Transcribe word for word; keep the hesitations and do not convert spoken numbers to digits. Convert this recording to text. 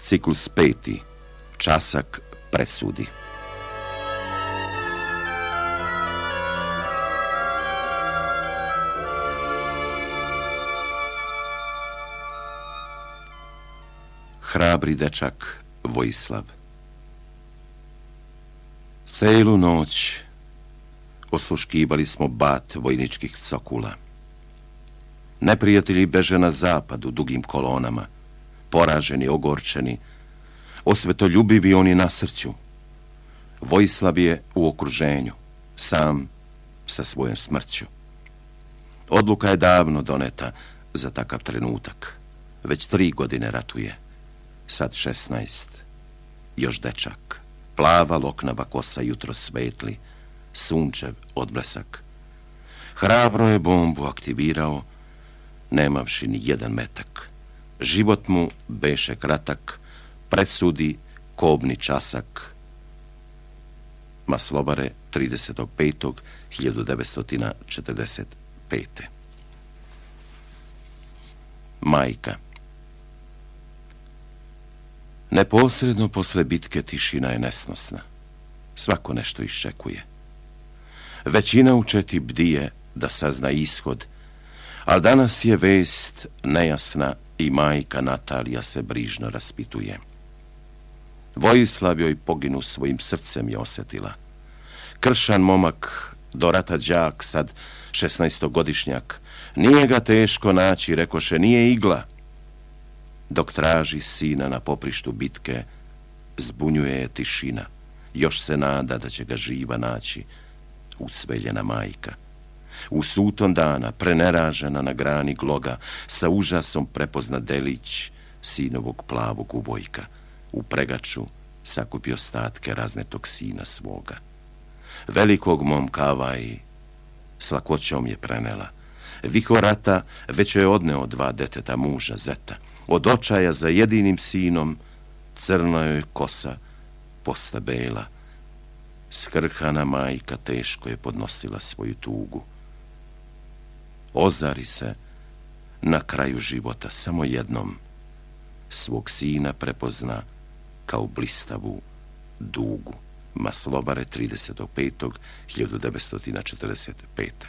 Ciklus peti. Časak presudi. Hrabri dečak Vojislav. Celu noć osluškivali smo bat vojničkih cokula. Neprijatelji beže na zapad u dugim kolonama, poraženi, ogorčeni, osvetoljubivi oni nasrću. Vojislav je u okruženju, sam sa svojom smrću. Odluka je davno doneta za takav trenutak. Već tri godine ratuje, sad šesnaest. Još dečak, plava loknava kosa jutro svetli, sunčev odblesak. Hrabro je bombu aktivirao, nemavši ni jedan metak. Život mu beše kratak, presudi kobni časak. Maslobare, tridesetog petog hiljadu devetsto četrdeset pete. Majka. Neposredno posle bitke tišina je nesnosna. Svako nešto iščekuje. Većina u četi bdije da sazna ishod, ali danas je vest nejasna i majka Natalija se brižno raspituje. Vojislav joj poginu svojim srcem je osjetila. Kršan momak, do rata đak, sad šesnaestogodišnjak, nije ga teško naći, rekoše, nije igla. Dok traži sina na poprištu bitke, zbunjuje je tišina. Još se nada da će ga živa naći usveljena majka. U suton dana, preneražena na grani gloga, sa užasom prepozna delić sinovog plavog ubojka. U pregaču sakupio ostatke raznetog sina svoga. Velikog momka Avaji s lakoćom je prenela. Vihor rata već je odneo dva deteta muža Zeta. Od očaja za jedinim sinom crna joj kosa posta bela. Skrhana majka teško je podnosila svoju tugu. Ozari se na kraju života samo jednom. Svog sina prepozna kao blistavu dugu. Maslobare, tridesetog petog hiljadu devetsto četrdeset pete.